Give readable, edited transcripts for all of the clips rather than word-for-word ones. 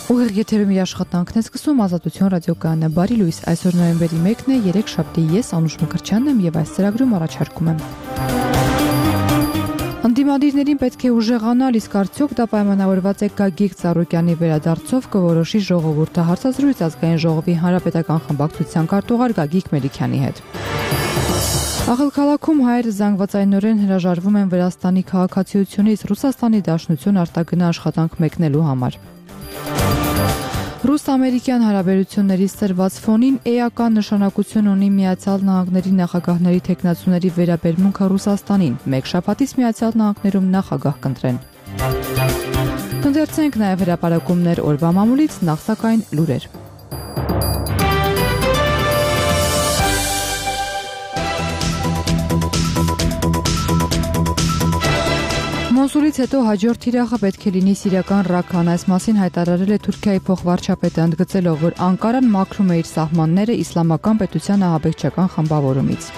Ուղիղ եթերում իր աշխատանքն է սկսում Ազատություն ռադիոկայանը։ Բարի լույս, այսօր նոյեմբերի 1-ն է, 3 շաբթի, ես Անուշ Մկրտչյանն եմ եւ այս ծրագրում առաջարկում եմ։ Անդիմադիրներին պետք է ուժեղանալ, իսկ արդյոք դա պայմանավորված է Գագիկ Ծառուկյանի վերադարձով կորոշի ժողովուրդը, հարցազրույց ազգային ժողովի հանրապետական խմբակցության քարտուղար Գագիկ Մելիքյանի հետ։ Աղալ քաղաքում հայերը զանգվածայնորեն հրաժարվում են Վրաստանի քաղաքացիությունից Ռուսաստանի Դաշնություն արտագնա աշխատանք մեկնելու համար։ Ռուս-ամերիկյան հարաբերությունների սրված ֆոնին էական նշանակություն ունի Միացյալ Նահանգների նախագահների թեկնածուների վերաբերմունքը Ռուսաստանին։ Մեկ շաբաթից Միացյալ Նահանգներում նախագահ կընտրեն։ Կընթերցենք նաև հրապարակումներ օրվա մամուլից, նախ սակայն լուրեր։ Մոսուլից հետո հաջորդ թիրախը պետք է լինի սիրիական Ռաքան, այս մասին հայտարարել է Թուրքիայի փոխվարչապետը, ընդգծելով, որ Անկարան մաքրում է իր սահմանները իսլամական պետության ահաբեկչական խմբավորումից։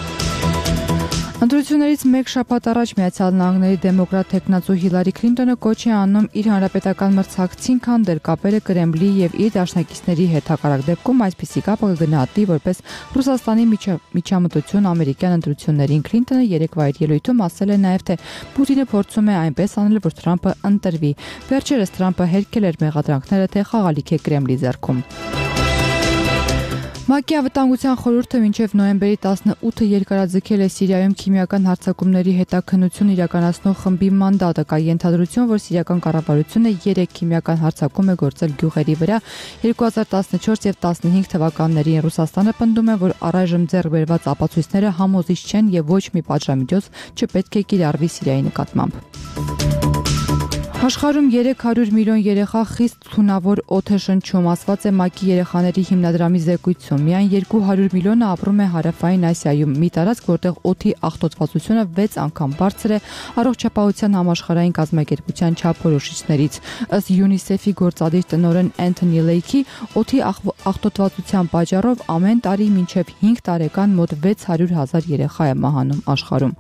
Ընտրություններից մեկ շաբաթ առաջ Միացյալ Նահանգների դեմոկրատ թեկնածու Հիլարի Քլինտոնը կոչ է անում իր հանրապետական մրցակցին քանդել կապերը Կրեմլի եւ իր դաշնակիցների հետ, հակառակ դեպքում այսպիսի կապը կգնահատի որպես Ռուսաստանի միջամտություն ամերիկյան ընտրություններին։ Քլինտոնը երեկվա իր ելույթում ասել է նաեւ, թե Պուտինը փորձում է այնպես անել, որ Թրամփը ընտրվի։ Վերջերս Թրամփը հերքել էր մեղադրանքները, թե խաղալիք է Կրեմլի ձեռքում։ ՄԱԿ-ի անվտանգության խորհուրդը մինչև նոյեմբերի 18-ը երկարաձգել է Սիրիայում քիմիական հարձակումների հետաքննություն իրականացնող խմբի մանդատը։ Կա ենթադրություն, որ սիրիական կառավարությունը 3 քիմիական հարձակում է գործել գյուղերի վրա 2014 եւ 15 թվականներին։ Ռուսաստանը պնդում է, որ առայժմ ձեռք բերված ապացույցները համոզիչ չեն եւ ոչ մի պատժամիջոց չպետք է կիրառվի Սիրիայի նկատմամբ։ Աշխարհում 300 միլիոն երեխա խիստ թունավոր օդ է շնչում, ասված է ՄԱԿ-ի երեխաների հիմնադրամի զեկույցում։ Միայն 200 միլիոնը ապրում է Հարավային Ասիայում, մի տարածք, որտեղ օդի աղտոտվածությունը 6 անգամ բարձր է Առողջապահության համաշխարհային կազմակերպության չափորոշիչներից։ Ըստ ՅՈՒՆԻՍԵՖ-ի գործադիր տնօրեն Էնթոնի Լեյքի, օդի աղտոտվածության պատճառով ամեն տարի մինչև 5 տարեկան մոտ 600,000 երեխա է մահանում աշխարհում։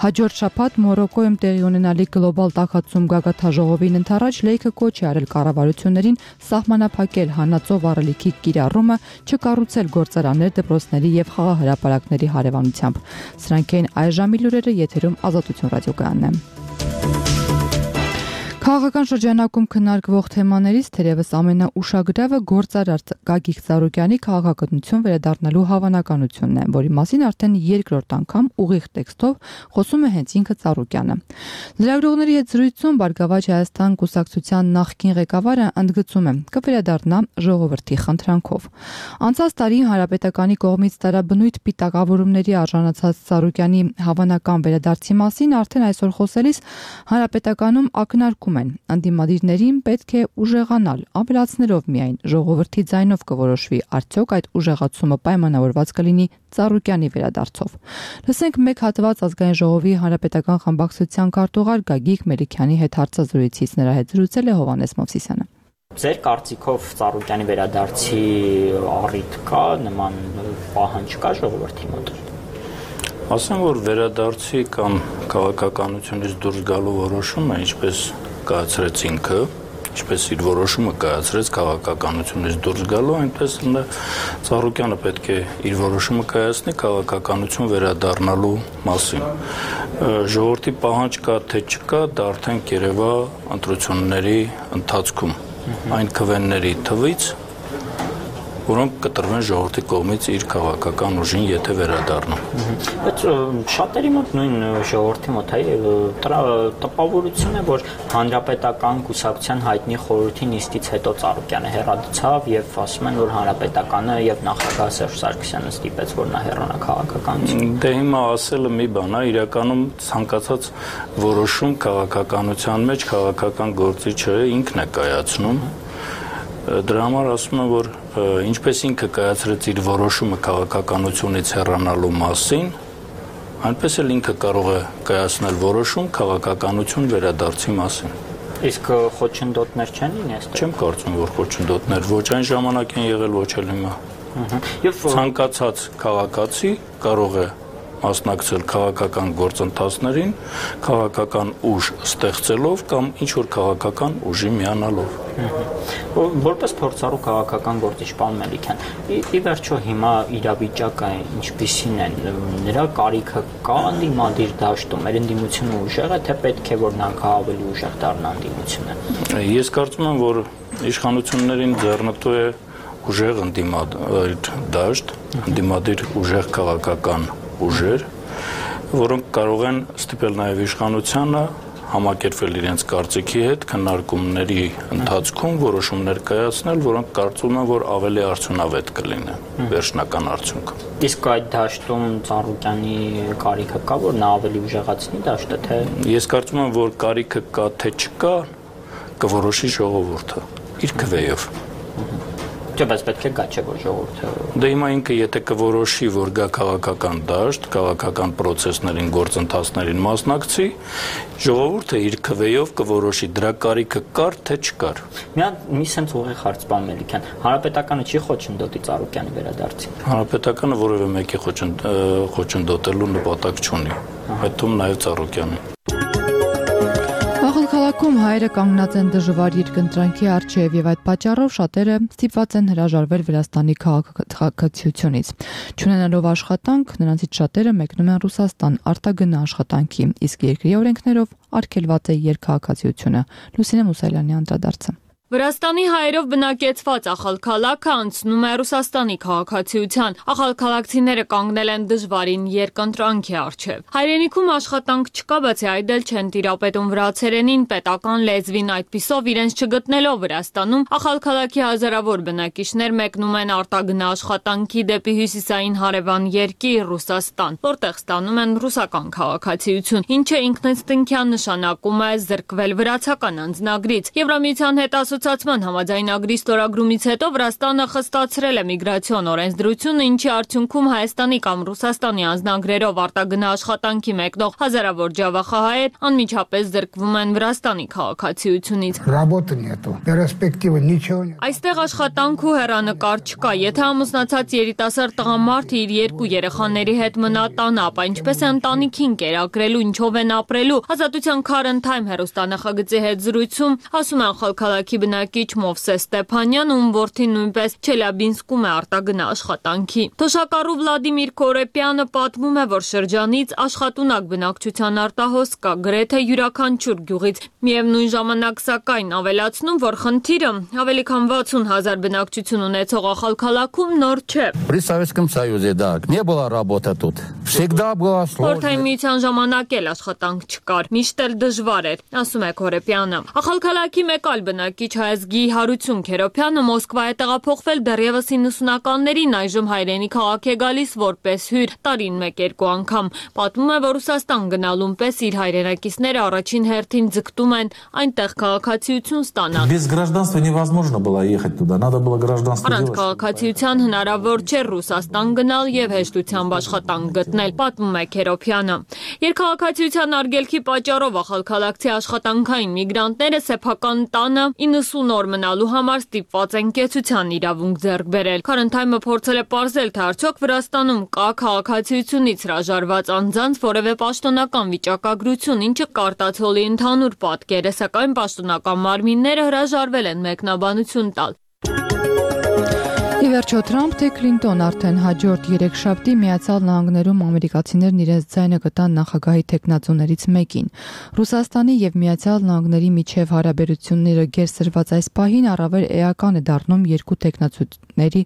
Հաջորդ շաբաթ Մորոկոյում տեղի ունենալիք գլոբալ տաքացում գագաթաժողովին ընթരാճ Լեյքը կոչ է արել կառավարություններին սահմանափակել հանածո վառելիքի կիրառումը, չկառուցել գործարաններ, դպրոցների եւ խաղահրապարակների հարևանությամբ։ Սրանք են այս ժամի լուրերը, եթերում Ազատություն ռադիոկայանն է։ Քաղաքական շրջանակում քննարկվող թեմաներից թերևս ամենաուշագրավը գործարար Գագիկ Ծառուկյանի քաղաքականություն վերադառնալու հավանականությունն է, որի մասին արդեն երկրորդ անգամ ուղիղ տեքստով խոսում է հենց ինքը Ծառուկյանը։ Լրագրողների հետ զրույցում Բարգավաճ Հայաստան կուսակցության նախկին ղեկավարը ընդգծում է, կվերադառնա ժողովրդի խնդրանքով։ Անցած տարի Հանրապետականի կողմից տարաբնույթ պիտակավորումների արժանացած Ծառուկյանի հավանական վերադարձի մասին արդեն այսօր խոսելիս Հանրապետականում ակնարկում անդիմադիրներին պետք է ուժեղանալ, ավելացնելով միայն ժողովրդի ձայնով կորոշվի, արդյոք այդ ուժեղացումը պայմանավորված կլինի Ծառուկյանի վերադարձով։ Լսենք մեկ հատված ազգային ժողովի հանրապետական խմբակցության քարտուղար Գագիկ Մելիքյանի հետ հարցազրույցից, նրա հետ զրուցել է Հովհաննես Մովսիսյանը։ Ձեր կարծիքով Ծառուկյանի վերադարձի առիթ կա, նման պահանջ կա ժողովրդի մոտ։ Ասեմ, որ վերադարձի կամ քաղաքականությունից դուրս գալու որոշումը, ինչպես կայացրեց ինքը, ինչպես իր որոշումը կայացրեց քաղաքականությունից դուրս գալու, այնպես Ծառուկյանը պետք է իր որոշումը կայացնի քաղաքականություն վերադառնալու մասին։ Ժողովրդի պահանջ կա թե չկա, դա արդեն կերևա ընտրությունների ընթացքում այն քվեների թվից, որոնք կտրվեն ժողովրդի կողմից իր քաղաքական ուժին, եթե վերադառնա։ Բայց շատերի մոտ նույն ժողովրդի մոտ տպավորություն է, որ հանրապետական կուսակցության հայտնի խորհրդի նիստից հետո Ծառուկյանը հեռացավ եւ ասում են, որ հանրապետականը եւ նախագահ Սերժ Սարգսյանը ստիպեց, որ նա հեռանա քաղաքականությունից։ Դե հիմա ասելը մի բան է, իրականում ցանկացած որոշում քաղաքականության մեջ քաղաքական գործիչը ինքն է կայացնում։ Դրա համար ասում եմ, որ ինչպես ինքը կայացրեց իր որոշումը քաղաքականությունից հեռանալու մասին, այնպես էլ ինքը կարող է կայացնել որոշում քաղաքականություն վերադարձի մասին։ Իսկ խոչընդոտներ չեն լինի այստեղ։ Չեմ կարծում, որ խոչընդոտներ ոչ այն ժամանակ են եղել, ոչ էլ հիմա։ Եվ ցանկացած քաղաքացի կարող է մասնակցել քաղաքական գործընթացներին, քաղաքական ուժ ստեղծելով կամ ինչ-որ քաղաքական ուժի միանալով։ Որպես փորձառու քաղաքական գործիչ պարոն Մելիքյան, ի վերջո հիմա իրավիճակը ինչպիսին է, նրա կարիքը կա ընդդիմադիր դաշտում, մեր ընդդիմությունը ուժեղ է, թե պետք է որ նրանք ավելի ուժեղ դառնան ընդդիմությունը։ Ես կարծում եմ, որ իշխանություններին ձեռնտու է ուժեղ ընդդիմադիր դաշտ, ընդդիմադիր ուժեղ քաղաքական ուժեր, որոնք կարող են ստիպել նաև իշխանությանը համակերպվել իրենց կարծիքի հետ քննարկումների ընթացքում որոշումներ կայացնել, որոնք կարծում են, որ ավելի արդյունավետ կլինեն վերջնական արդյունքը։ Իսկ այդ դաշտում Ծառուկյանի կարիքը կա, որ նա ավելի ուժեղացնի դաշտը, թե Ես կարծում եմ, որ կարիքը կա, թե չկա, կորոշի ժողովուրդը իր քվեով։ Չէ, բայց պետք է գա, չէ, որ ժողովուրդը Դե հիմա ինքը եթե կորոշի, որ գա քաղաքական դաշտ, քաղաքական process-ներին, գործընթացներին մասնակցի, ժողովուրդը իր քվեով կորոշի դրա կարիքը կար, թե չկար։ մի sense ուղիղ հարց պարոն Մելիքյան, հանրապետականը չի խոչընդոտի Ծառուկյանի վերադարձին։ Հանրապետականը որևէ մեկի խոչընդոտելու նպատակ չունի, այդ թվում նաև Ծառուկյանի։ Քաղաքում հայերը կանգնած են դժվար երկընտրանքի առջև եւ այդ պատճառով շատերը ստիպված են հրաժարվել Վրաստանի քաղաքացիությունից։ Չունենալով աշխատանք, նրանցից շատերը մեկնում են Ռուսաստան արտագնա աշխատանքի, իսկ երկրի օրենքներով արգելված է երկքաղաքացիությունը։ Լուսինե Մուսալյանի անդրադարձը։ Վրաստանի հայերով բնակեցված ախալքալաքը անցնում է Ռուսաստանի քաղաքացիության։ Ախալքալակցիները կանգնել են դժվարին երկընտրանքի առջև։ Հայրենիքում աշխատանք չկա, բացի այդ էլ չեն տիրապետում վրացերենին, պետական լեզվին, այդպիսով իրենց չգտնելով Վրաստանում, ախալքալաքի հազարավոր բնակիչներ մեկնում են արտագնա աշխատանքի դեպի հյուսիսային հարևան երկիր Ռուսաստան, որտեղ ստանում են ռուսական քաղաքացիություն, ինչը ինքնըստինքյան նշանակում է զրկվել վրացական անձնագրից։ Եվրամիության հետ Ասոցիացիան համաձայնագրի ստորագրումից հետո Վրաստանը խստացրել է միգրացիոն օրենսդրությունը, ինչի արդյունքում Հայաստանի կամ Ռուսաստանի անձնագրերով արտագնա աշխատանքի մեկնող հազարավոր ջավախահայեր անմիջապես զրկվում են Վրաստանի քաղաքացիությունից։ Այստեղ աշխատանք ու հեռանկար չկա։ Եթե ամուսնացած երիտասարդ տղամարդը իր երկու երեխաների հետ մնա տանը, ապա ինչպես է ընտանիքին կերակրելու, ինչով են ապրելու։ Ազատության Current Time հեռուստանախագծի հետ զրույցում ասում են Խալքալաքի բնակիչ Մովսես Ստեփանյան, ում որդին նույնպես Չելյաբինսկում է արտագնա աշխատանքի։ Թոշակառու Վլադիմիր Կորեպյանը պատմում է, որ շրջանից աշխատունակ բնակչության արտահոս կա գրեթե յուրաքանչյուր գյուղից։ Միևնույն ժամանակ սակայն ավելացնում, որ խնդիրը ավելի քան 60,000 բնակչություն ունեցող Ախալքալաքում նոր չէ։ При Советском Союзе, да, не было работы тут. Всегда было сложно. Խորհրդային միության ժամանակ էլ աշխատանք չկար, միշտ էլ դժվար էր, ասում է Կորեպյանը։ Ախալքալաքի մեկ այլ բնակիչ հայազգի Հարություն Քերոփյանը Մոսկվա է տեղափոխվել դեռևս 90-ականներին, այժմ հայրենի քաղաք է գալիս որպես հյուր, տարին 1-2 անգամ։ Պատմում է, որ Ռուսաստան գնալուն պես իր հայրենակիցները առաջին հերթին ձգտում են այնտեղ քաղաքացիություն ստանալ։ Без гражданства невозможно было ехать туда, надо было гражданство Առանց делать. քաղաքացիության հնարավոր չէ Ռուսաստան գնալ եւ հեշտությամբ աշխատանք գտնել, պատմում է Քերոփյանը։ Երկքաղաքացիության արգելքի պատճառով ախալքալակցի աշխատանքային միգրանտները սեփական տանը 90 օր մնալու համար ստիպված են կեցության իրավունք ձեռք բերել։ Current Time-ը փորձել է պարզել, թե արդյոք Վրաստանում կա քաղաքացիությունից հրաժարված անձանց որևէ պաշտոնական վիճակագրություն, ինչը կարտացոլի ընդհանուր պատկերը, սակայն պաշտոնական մարմինները հրաժարվել են մեկնաբանություն տալ։ Ի վերջո Թրամփ թե Քլինտոն արդեն հաջորդ երեքշաբթի Միացյալ Նահանգներում ամերիկացիներն իրենց ձայնը կտան նախագահի թեկնածուներից մեկին։ Ռուսաստանի եւ Միացյալ Նահանգների միջև հարաբերությունները գերսրված այս պահին առավել էական է դառնում երկու թեկնածուների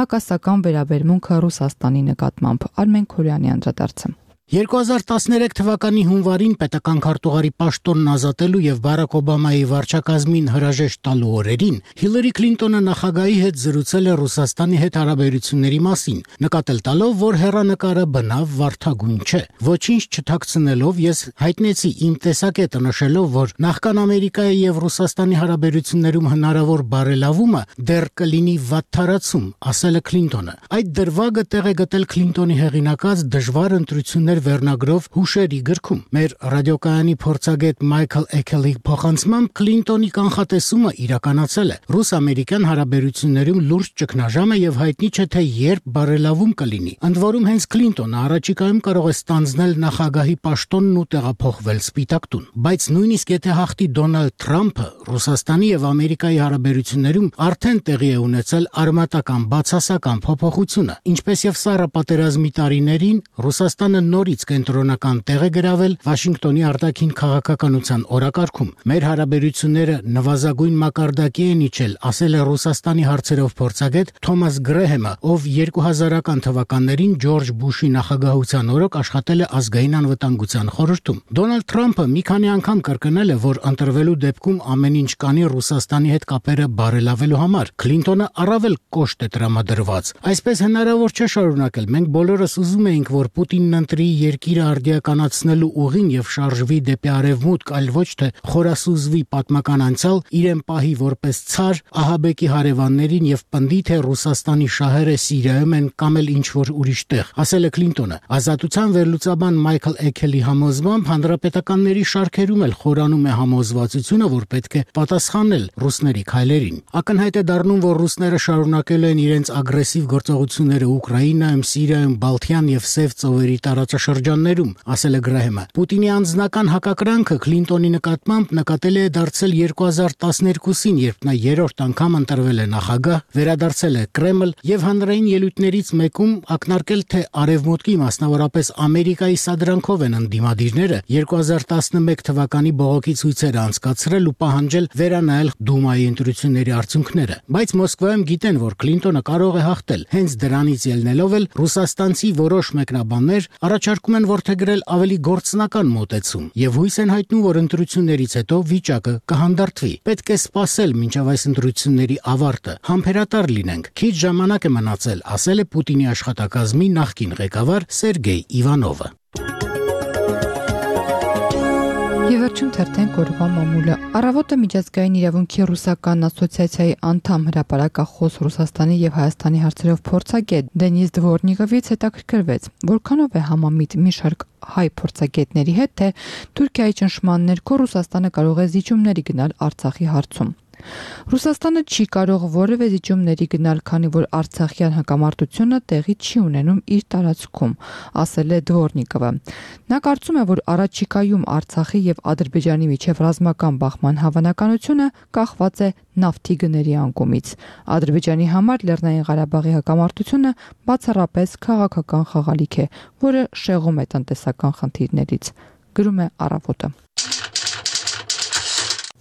հակասական վերաբերմունքը Ռուսաստանի նկատմամբ։ Արմեն Քորյանի անդրադարձը։ 2013 թվականի հունվարին պետական քարտուղարի պաշտոնն ազատելու եւ Բարակ Օբամայի վարչակազմին հրաժեշտ տալու օրերին Հիլարի Քլինտոնը նախագահի հետ զրուցել է Ռուսաստանի հետ հարաբերությունների մասին, նկատել տալով, որ հեռանկարը բնավ վարդագույն չէ։ Ոչինչ չթաքցնելով ես հայտնեցի իմ տեսակետը, նշելով, որ նախքան Ամերիկայի եւ Ռուսաստանի հարաբերություններում հնարավոր բարելավումը դեռ կլինի վատթարացում, ասել է Քլինտոնը։ Այդ դրվագը տեղ է գտել Քլինտոնի հեղինակած դժվար ընտրություններ հաղորդումներ վերնագրով հուշերի գրքում։ Մեր ռադիոկայանի փորձագետ Մայքլ Էքելի փոխանցմամբ Քլինտոնի կանխատեսումը իրականացել է։ Ռուս-ամերիկյան հարաբերություններում լուրջ ճգնաժամ է եւ հայտնի չէ թե երբ բարելավում կլինի։ Ընդ որում հենց Քլինտոնը առաջիկայում կարող է ստանձնել նախագահի պաշտոնն ու տեղափոխվել Սպիտակ տուն։ Բայց նույնիսկ եթե հաղթի Դոնալդ Թրամփը, Ռուսաստանի եւ Ամերիկայի հարաբերություններում արդեն տեղի է ունեցել արմատական բացասական փոփոխությունը, ինչպես եւ Սառը պատերազմի տարիներին Ռուսաստանը նորից կենտրոնական տեղ է գրավել Վաշինգտոնի արտաքին քաղաքականության օրակարգում։ Մեր հարաբերությունները նվազագույն մակարդակի են իջել, ասել է Ռուսաստանի հարցերով փորձագետ Թոմաս Գրեհեմը, ով 2000-ական թվականներին Ջորջ Բուշի նախագահության օրոք աշխատել է ազգային անվտանգության խորհրդում։ Դոնալդ Թրամփը մի քանի անգամ կրկնել է, որ ընտրվելու դեպքում ամեն ինչ կանի Ռուսաստանի հետ կապերը բարելավելու համար։ Քլինտոնը առավել կոշտ է տրամադրված։ Այսպես հնարավոր չէ շարունակել։ Մենք բոլորս ուզում էինք, որ Պուտինն ընտրի երկիրը արդիականացնելու ուղին եւ շարժվի դեպի արևմուտք, այլ ոչ թե խորասուզվի պատմական անցյալ, իրեն պահի որպես ցար, ահաբեկի հարևաններին եւ պնդի, թե Ռուսաստանի շահերը Սիրիայում են կամ էլ ինչ որ ուրիշ տեղ, ասել է Քլինտոնը։ Ազատության վերլուծաբան Մայքլ Էքելի համոզմամբ հանրապետականների շարքերում էլ խորանում է համոզվածությունը, որ պետք է պատասխանել ռուսների քայլերին։ Ակնհայտ է դառնում, որ ռուսները շարունակել են իրենց ագրեսիվ գործողությունները Ուկրաինայում, Սիրիայում, Բալթյան եւ Սև ծովերի տարածաշրջաններում, ասել է Գրեհեմը։ Պուտինի անձնական հակակրանքը Քլինտոնի նկատմամբ նկատելի է դարձել 2012-ին, երբ նա երրորդ անգամ ընտրվել է նախագահ, վերադարձել է Կրեմլ եւ հանրային ելույթներից մեկում ակնարկել, թե Արևմուտքի, մասնավորապես Ամերիկայի սադրանքով են ընդդիմադիրները 2011 թվականի բողոքի ցույցերը անցկացրել ու պահանջել վերանայել Դումայի ընտրությունների արդյունքները։ Բայց Մոսկվայում գիտեն, որ Քլինտոնը կարող է հաղթել։ Հենց դրանից ելնելով էլ ռուսաստանցի որոշ մեկնաբաններ առաջարկում են որդեգրել ավելի գործնական մոտեցում եւ հույս են հայտնում, որ ընտրություններից հետո վիճակը կհանդարտվի։ Պետք է սպասել մինչև այս ընտրությունների ավարտը, համբերատար լինենք։ Քիչ ժամանակ է մնացել, ասել է Պուտինի աշխատակազմի նախկին ղեկավար Սերգեյ Իվանովը։ Եվերջում թերթենք օրվա մամուլը։ Առավոտը միջազգային իրավունքի ռուսական ասոցիացիայի անդամ հրապարակախոս Ռուսաստանի եւ Հայաստանի հարցերով փորձագետ Դենիս Դվորնիկովից հետաքրքրվեց, որքանով է համամիտ մի շարք հայ փորձագետների հետ, թե Թուրքիայի ճնշման ներքո Ռուսաստանը կարող է զիջումների գնալ Արցախի հարցում։ Ռուսաստանը չի կարող որևէ զիջումների գնալ, քանի որ Արցախյան հակամարտությունը տեղի չի ունենում իր տարածքում, ասել է Դվորնիկովը։ Նա կարծում է, որ առաջիկայում Արցախի եւ Ադրբեջանի միջև ռազմական բախման հավանականությունը կախված է նավթի գների անկումից։ Ադրբեջանի համար Լեռնային Ղարաբաղի հակամարտությունը բացառապես քաղաքական խաղալիք է, որը շեղում է տնտեսական խնդիրներից, գրում է Առավոտը։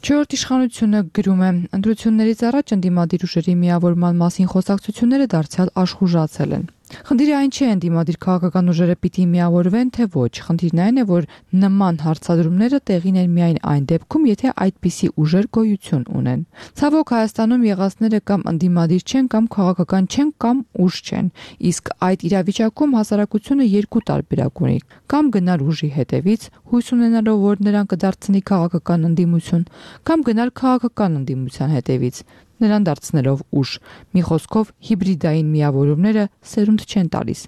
Չորրորդ իշխանությունը գրում է. ընտրություններից առաջ ընդդիմադիր ուժերի միավորման մասին խոսակցությունները դարձյալ աշխուժացել են։ Խնդիրը այն չէ, ընդդիմադիր քաղաքական ուժերը պիտի միավորվեն, թե ոչ։ Խնդիրն այն է, որ նման հարցադրումները տեղին են միայն այն դեպքում, եթե այդպիսի ուժեր գոյություն ունեն։ Ցավոք Հայաստանում եղածները կամ ընդդիմադիր չեն, կամ քաղաքական չեն, կամ ուժ չեն։ Իսկ այդ իրավիճակում հասարակությունը երկու տարբերակ ունի. կամ գնալ ուժի հետևից, հույս ունենալով, որ նրան կդարձնի քաղաքական ընդդիմություն, կամ գնալ քաղաքական ընդդիմության հետևից, նրան դարձնելով ուժ։ Մի խոսքով հիբրիդային միավորումները սերունդ չեն տալիս։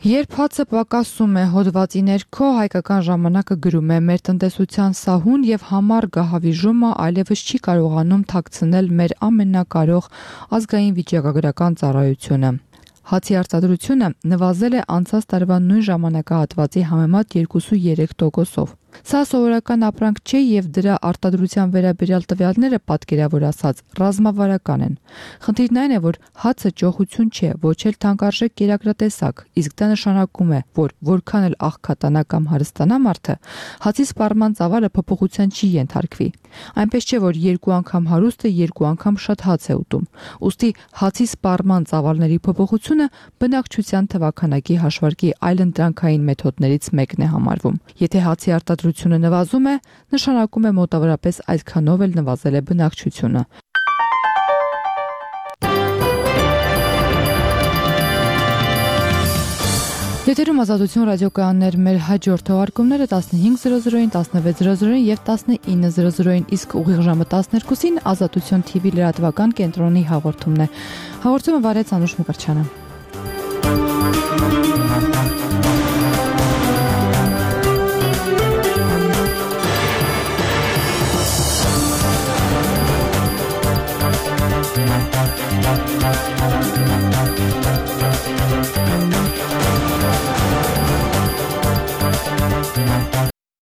Երբ հացը պակասում է հոդվածի ներքո, Հայկական ժամանակը գրում է. մեր տնտեսության սահուն եւ համառ գահավիժումը այլևս չի կարողանում թաքցնել մեր ամենակարող ազգային վիճակագրական ծառայությունը։ Հացի արտադրությունը նվազել է անցած տարվա նույն ժամանակահատվածի համեմատ 2,3%-ով։ Սա սովորական ապրանք չէ եւ դրա արտադրության վերաբերյալ տվյալները պատկերավոր ասած ռազմավարական են։ Խնդիրն այն է, որ հացը ճոխություն չէ, ոչ էլ թանկարժեք կերակրատեսակ, իսկ դա նշանակում է, որ որքան էլ աղքատանա կամ հարստանա մարդը, հացի սպառման ծավալը փոփոխության չի ենթարկվի։ Այնպես չէ, որ երկու անգամ հարուստը երկու անգամ շատ հաց է ուտում։ Ուստի հացի սպառման ծավալների փոփոխությունը բնակչության թվաքանակի հաշվարկի այլընտրանքային մեթոդներից մեկն է համարվում։ Եթե հացի արտադրությունը նվազում է, նշանակում է մոտավորապես այդքանով էլ նվազել է բնակչությունը։ Եթերում Ազատություն ռադիոկայաններ, մեր հաջորդ թողարկումները 15:00-ին, 16:00-ին եւ 19:00-ին, իսկ ուղիղ ժամը 12-ին Ազատություն TV լրատվական կենտրոնի հաղորդումն է։ Հաղորդումը վարեց Անուշ Մկրտչյանը։